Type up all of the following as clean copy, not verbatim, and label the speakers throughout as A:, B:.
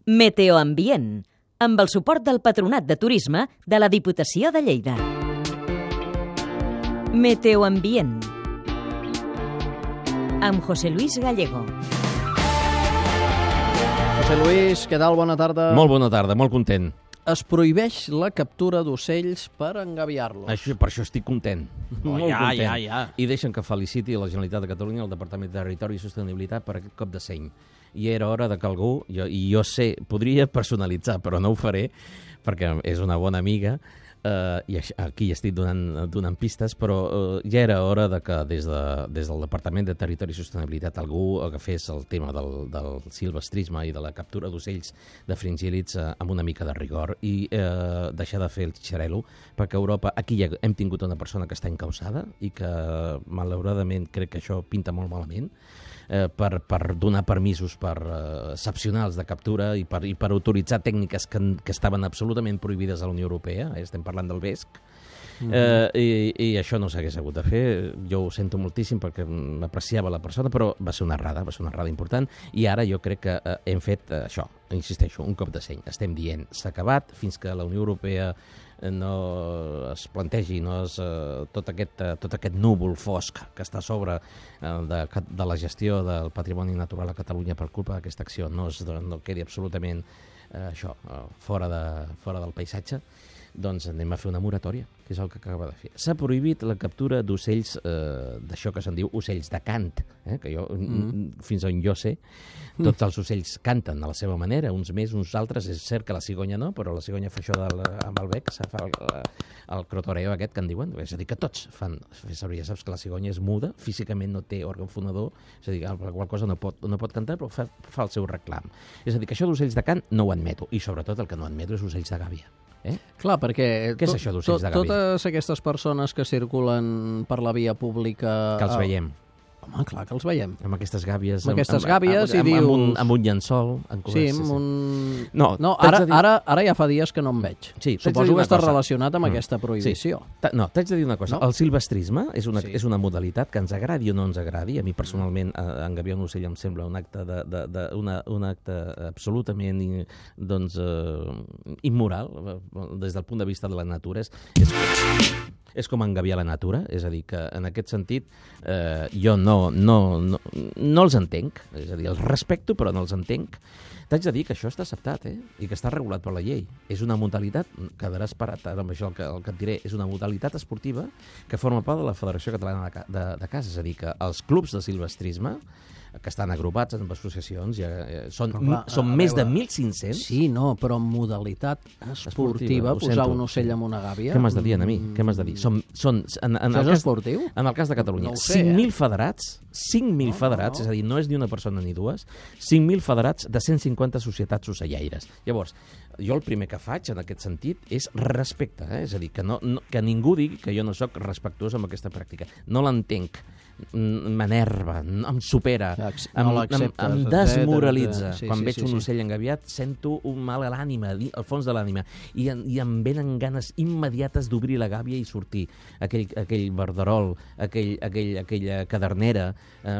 A: Meteoambient, amb el suport del Patronat de Turisme de la Diputació de Lleida. Meteoambient, amb José Luis Gallego.
B: José Luis, què tal? Bona tarda.
C: Molt bona tarda, molt content.
B: Es prohibeix la captura d'ocells per engaviar-los.
C: Per això estic content. Molt content.
B: Ja.
C: I deixen que feliciti la Generalitat de Catalunya, el Departament de Territori i Sostenibilitat per aquest cop de seny. I era hora de que algú, jo sé, podria personalitzar, però no ho faré, perquè és una bona amiga, i aquí estic donant pistes, però ja era hora de que des del Departament de Territori i Sostenibilitat algú agafés el tema del silvestrisme i de la captura d'ocells de fringíl·lids amb una mica de rigor i deixar de fer el xarel·lo, perquè a Europa, aquí ja hem tingut una persona que està encausada i que malauradament crec que això pinta molt malament, per donar permisos excepcionals de captura i per autoritzar tècniques que estaven absolutament prohibides a la Unió Europea, estem parlant del vesc, i això no s'hagués hagut de fer. Jo ho sento moltíssim perquè m'apreciava la persona, però va ser una errada important, i ara jo crec que hem fet això, insisteixo, un cop de seny. Estem dient, s'ha acabat, fins que la Unió Europea no es plantegi tot aquest núvol fosc que està a sobre de la gestió del patrimoni natural a Catalunya per culpa d'aquesta acció, no quedi absolutament fora del paisatge, doncs anem a fer una moratòria, que és el que acaba de fer. S'ha prohibit la captura d'ocells, d'això que se'n diu ocells de cant, que jo, fins on jo sé, tots els ocells canten a la seva manera, uns més, uns altres, és cert que la cigonya no, però la cigonya fa això amb el bec, fa el crotoreo aquest que en diuen, és a dir, que tots fan servir, ja saps que la cigonya és muda, físicament no té òrgan fonador, és a dir, per qual cosa no pot cantar, però fa el seu reclam. És a dir, que això d'ocells de cant no ho admeto, i sobretot el que no admeto és ocells de gàbia.
B: Clar, perquè
C: què és això d'ocells de gàbia?
B: Totes aquestes persones que circulen per la via pública...
C: Que els veiem.
B: Home, clar que els veiem.
C: Amb aquestes gàbies.
B: I dius...
C: Amb un llençol.
B: Sí, amb un...
C: No,
B: ara ja fa dies que no em veig.
C: Sí,
B: suposo que està relacionat amb aquesta prohibició.
C: Sí. No, t'haig de dir una cosa. El silvestrisme és una modalitat que ens agradi o no ens agradi. A mi personalment engaviar un ocell em sembla un acte absolutament immoral des del punt de vista de la natura. És com engaviar la natura, és a dir, que en aquest sentit jo no els entenc, és a dir, els respecto però no els entenc. T'haig de dir que això està acceptat, i que està regulat per la llei. És una modalitat, quedaràs parat ara amb això el que et diré, és una modalitat esportiva que forma part de la Federació Catalana de Caça, és a dir, que els clubs de silvestrisme que estan agrupats en associacions, són més de 1.500.
B: Sí, no, però en modalitat esportiva, posar un ocell amb una gàbia...
C: Què m'has de dir, a mi? Què m'has de dir?
B: Això és esportiu?
C: En el cas de Catalunya,
B: no
C: 5.000 federats, 5.000 federats, és a dir, no és ni una persona ni dues, 5.000 federats de 150 societats ocellaires. Llavors, jo el primer que faig en aquest sentit és respecte, és a dir, que ningú digui que jo no sóc respectuós amb aquesta pràctica. No l'entenc, m'enerva, em supera, em desmoralitza. Quan veig un ocell engaviat sento un mal a l'ànima, al fons de l'ànima, i em venen ganes immediates d'obrir la gàbia i sortir. Aquell verderol, aquella cadernera,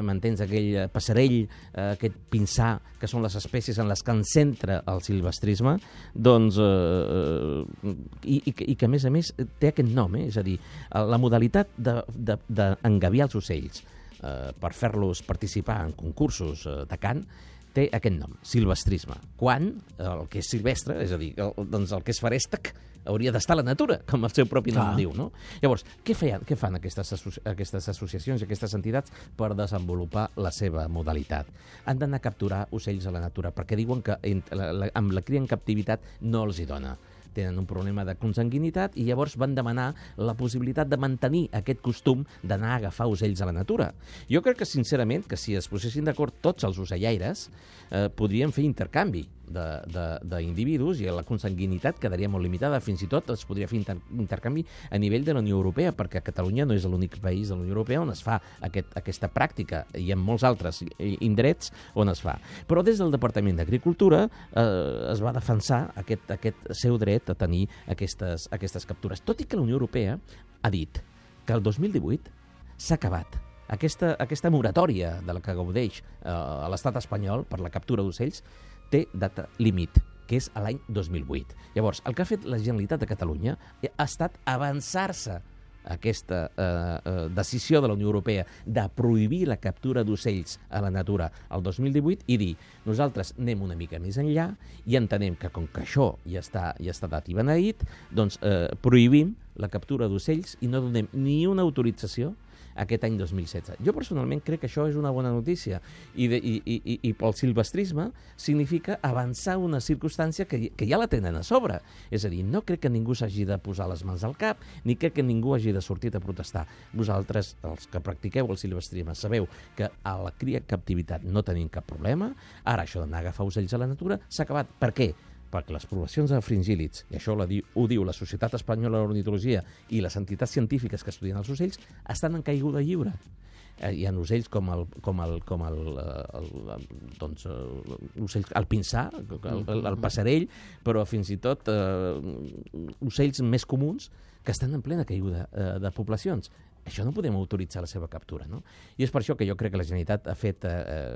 C: m'entens? Aquell passarell, aquest pinsà, que són les espècies en les que ens centra el silvestrisme, doncs, i que a més té aquest nom, és a dir, la modalitat d'engaviar els ocells per fer-los participar en concursos de cant té aquest nom, silvestrisme. Quan el que és silvestre, és a dir, doncs el que és ferèstec, hauria d'estar a la natura, com el seu propi nom diu, no? Llavors, què fan aquestes associacions i aquestes entitats per desenvolupar la seva modalitat? Han d'anar a capturar ocells a la natura, perquè diuen que amb la cria en captivitat no els hi dona. Tenen un problema de consanguinitat i llavors van demanar la possibilitat de mantenir aquest costum d'anar a agafar ocells a la natura. Jo crec que, sincerament, que si es posessin d'acord tots els ocellaires, podrien fer intercanvi d'individus i la consanguinitat quedaria molt limitada. Fins i tot es podria fer intercanvi a nivell de la Unió Europea, perquè Catalunya no és l'únic país de la Unió Europea on es fa aquesta pràctica, i en molts altres indrets on es fa. Però des del Departament d'Agricultura es va defensar aquest seu dret a tenir aquestes captures, tot i que la Unió Europea ha dit que el 2018 s'ha acabat aquesta moratòria de la que gaudeix a l'estat espanyol per la captura d'ocells té data límit, que és a l'any 2008. Llavors, el que ha fet la Generalitat de Catalunya ha estat avançar-se aquesta decisió de la Unió Europea de prohibir la captura d'ocells a la natura al 2018 i dir, nosaltres anem una mica més enllà i entenem que com que això ja està dat i beneït, doncs prohibim la captura d'ocells i no donem ni una autorització aquest any 2016. Jo personalment crec que això és una bona notícia i pel silvestrisme significa avançar una circumstància que ja la tenen a sobre. És a dir, no crec que ningú s'hagi de posar les mans al cap ni crec que ningú hagi de sortir a protestar. Vosaltres, els que practiqueu el silvestrisme, sabeu que a la cria en captivitat no tenim cap problema. Ara això d'anar a agafar ocells a la natura s'ha acabat. Per què? Perquè les poblacions de fringíl·lids, i això ho diu la Societat Espanyola d'Ornitologia i les entitats científiques que estudien els ocells, estan en caiguda lliure. Hi ha ocells com el pinsà, el passarell, però fins i tot ocells més comuns que estan en plena caiguda de poblacions. Això no podem autoritzar la seva captura, no? I és per això que jo crec que la Generalitat ha fet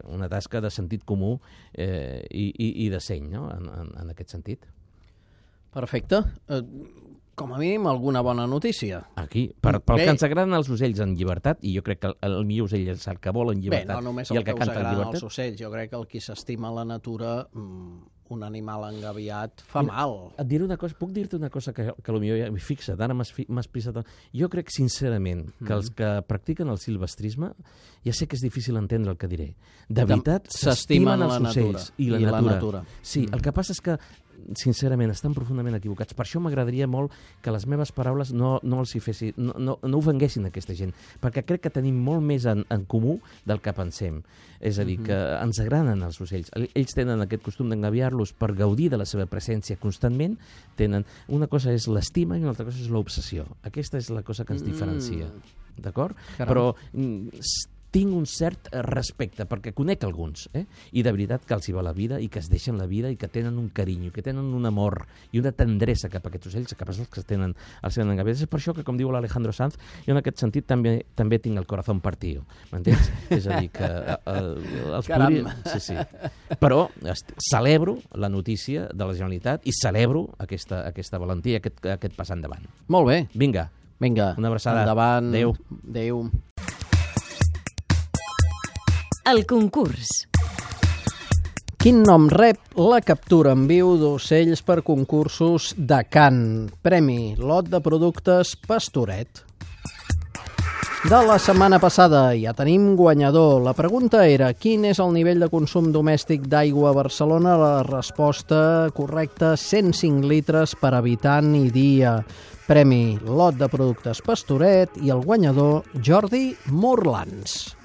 C: una tasca de sentit comú i de seny, no?, en aquest sentit.
B: Perfecte. Com a mínim, alguna bona notícia.
C: Aquí, pel que ens agraden els ocells en llibertat, i jo crec que el millor ocell és el que vol en llibertat.
B: Bé, no només el que us agraden els ocells, jo crec que el qui s'estima la natura, un animal engaviat, fa mal.
C: Et diré una cosa, puc dir-te una cosa que potser ja m'hi fixa't, ara m'has pisat. Jo crec sincerament que els que practiquen el silvestrisme, ja sé que és difícil entendre el que diré, de veritat s'estimen els ocells i la natura. Sí, el que passa és que sincerament, estan profundament equivocats. Per això m'agradaria molt que les meves paraules no ofenguessin aquesta gent, perquè crec que tenim molt més en comú del que pensem. És a dir, que ens agraden els ocells. Ells tenen aquest costum d'engaviar-los per gaudir de la seva presència constantment. Una cosa és l'estima i una altra cosa és l'obsessió. Aquesta és la cosa que ens diferencia. D'acord? Però tinc un cert respecte, perquè conec alguns, i de veritat que els hi va la vida i que es deixen la vida i que tenen un carinyo, que tenen un amor i una tendresa cap a aquests ocells, cap als que tenen els engaviats. És per això que, com diu l'Alejandro Sanz, jo en aquest sentit també tinc el corazón partido, m'entens? És a dir, que els podria... Sí. Però celebro la notícia de la Generalitat i celebro aquesta valentia, aquest pas endavant.
B: Molt bé.
C: Vinga. Una abraçada.
B: Endavant.
C: Adéu.
A: El concurs.
B: Quin nom rep la captura en viu d'ocells per concursos de cant? Premi Lot de Productes Pastoret. De la setmana passada ja tenim guanyador. La pregunta era: quin és el nivell de consum domèstic d'aigua a Barcelona? La resposta correcta: 105 litres per habitant i dia. Premi Lot de Productes Pastoret i el guanyador Jordi Morlans.